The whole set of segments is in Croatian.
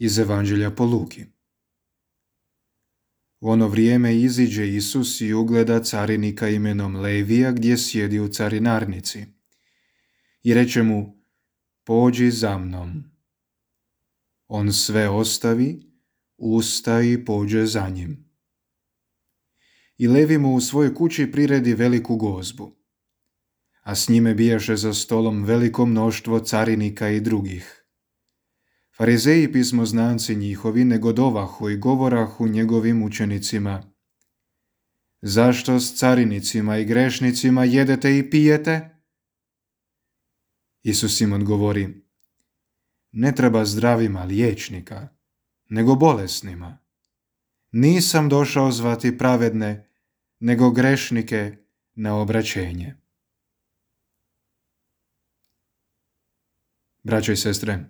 Iz Evanđelja po Luki. U ono vrijeme iziđe Isus i ugleda carinika imenom Levija gdje sjedi u carinarnici. I reče mu: pođi za mnom. On sve ostavi, ustaje i pođe za njim. I Levi mu u svojoj kući priredi veliku gozbu, a s njime bijaše za stolom veliko mnoštvo carinika i drugih. Farizeji i pismoznanci njihovi negodovahu i govorahu njegovim učenicima: zašto s carinicima i grešnicima jedete i pijete? Isus im odgovori: ne treba zdravima liječnika, nego bolesnima. Nisam došao zvati pravedne, nego grešnike na obraćenje. Braćo i sestre,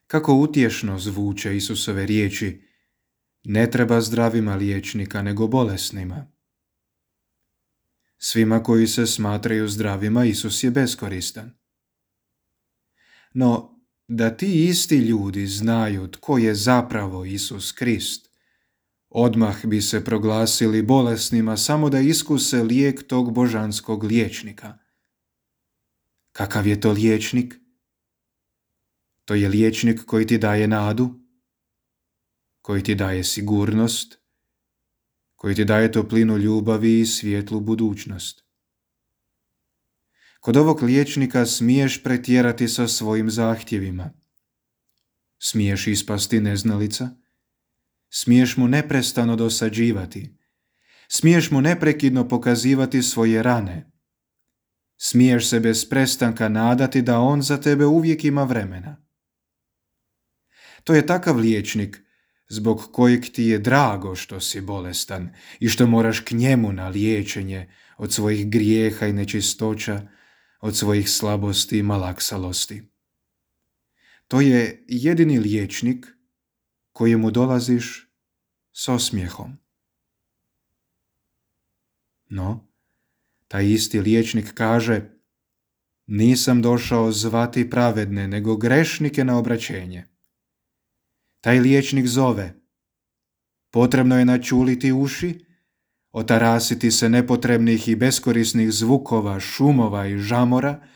kako utješno zvuče Isusove riječi: ne treba zdravima liječnika, nego bolesnima. Svima koji se smatraju zdravima Isus je beskoristan. No, da ti isti ljudi znaju tko je zapravo Isus Krist, odmah bi se proglasili bolesnima samo da iskuse lijek tog božanskog liječnika. Kakav je to liječnik? To je liječnik koji ti daje nadu, koji ti daje sigurnost, koji ti daje toplinu ljubavi i svijetlu budućnost. Kod ovog liječnika smiješ pretjerati sa svojim zahtjevima. Smiješ ispasti neznalica, smiješ mu neprestano dosađivati, smiješ mu neprekidno pokazivati svoje rane, smiješ se bez prestanka nadati da on za tebe uvijek ima vremena. To je takav liječnik zbog kojeg ti je drago što si bolestan i što moraš k njemu na liječenje od svojih grijeha i nečistoća, od svojih slabosti i malaksalosti. To je jedini liječnik kojemu dolaziš s osmijehom. No, taj isti liječnik kaže: nisam došao zvati pravedne, nego grešnike na obraćenje. Taj liječnik zove: potrebno je načuliti uši, otarasiti se nepotrebnih i beskorisnih zvukova, šumova i žamora,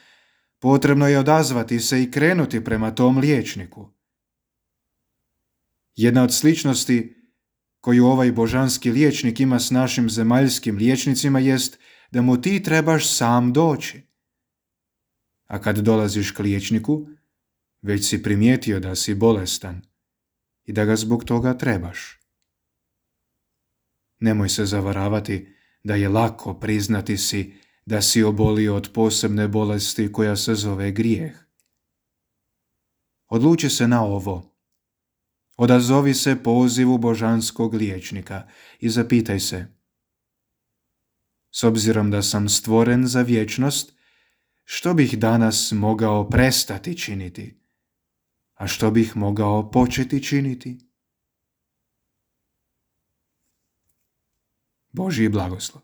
potrebno je odazvati se i krenuti prema tom liječniku. Jedna od sličnosti koju ovaj božanski liječnik ima s našim zemaljskim liječnicima jest da mu ti trebaš sam doći. A kad dolaziš k liječniku, već si primijetio da si bolestan i da ga zbog toga trebaš. Nemoj se zavaravati da je lako priznati si da si obolio od posebne bolesti koja se zove grijeh. Odluči se na ovo. Odazovi se pozivu božanskog liječnika i zapitaj se: s obzirom da sam stvoren za vječnost, što bih danas mogao prestati činiti, a što bih mogao početi činiti? Božji blagoslov.